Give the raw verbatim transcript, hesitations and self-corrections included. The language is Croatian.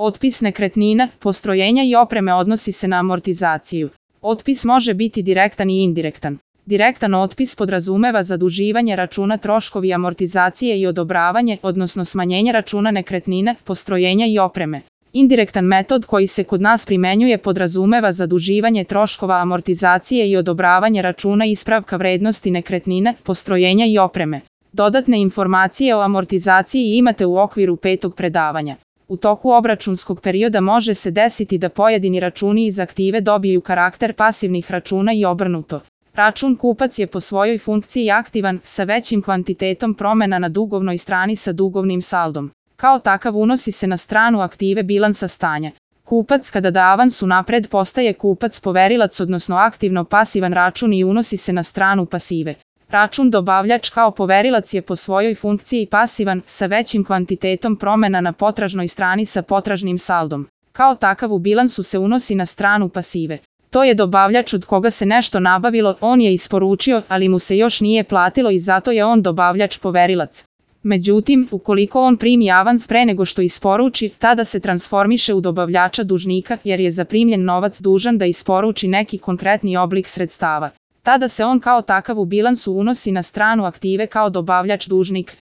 Otpis nekretnina, postrojenja i opreme odnosi se na amortizaciju. Otpis može biti direktan i indirektan. Direktan otpis podrazumeva zaduživanje računa troškovi amortizacije i odobravanje, odnosno smanjenje računa nekretnine, postrojenja i opreme. Indirektan metod koji se kod nas primenjuje podrazumeva zaduživanje troškova amortizacije i odobravanje računa ispravka vrednosti nekretnine, postrojenja i opreme. Dodatne informacije o amortizaciji imate u okviru petog predavanja. U toku obračunskog perioda može se desiti da pojedini računi iz aktive dobiju karakter pasivnih računa i obrnuto. Račun kupac je po svojoj funkciji aktivan, sa većim kvantitetom promjena na dugovnoj strani sa dugovnim saldom. Kao takav unosi se na stranu aktive bilansa stanja. Kupac kada da avans unapred postaje kupac poverilac odnosno aktivno pasivan račun i unosi se na stranu pasive. Račun dobavljač kao poverilac je po svojoj funkciji pasivan, sa većim kvantitetom promjena na potražnoj strani sa potražnim saldom. Kao takav u bilansu se unosi na stranu pasive. To je dobavljač od koga se nešto nabavilo, on je isporučio, ali mu se još nije platilo i zato je on dobavljač poverilac. Međutim, ukoliko on primi avans pre nego što isporuči, tada se transformiše u dobavljača dužnika jer je zaprimljen novac dužan da isporuči neki konkretni oblik sredstava. Tada se on kao takav u bilansu unosi na stranu aktive kao dobavljač dužnik.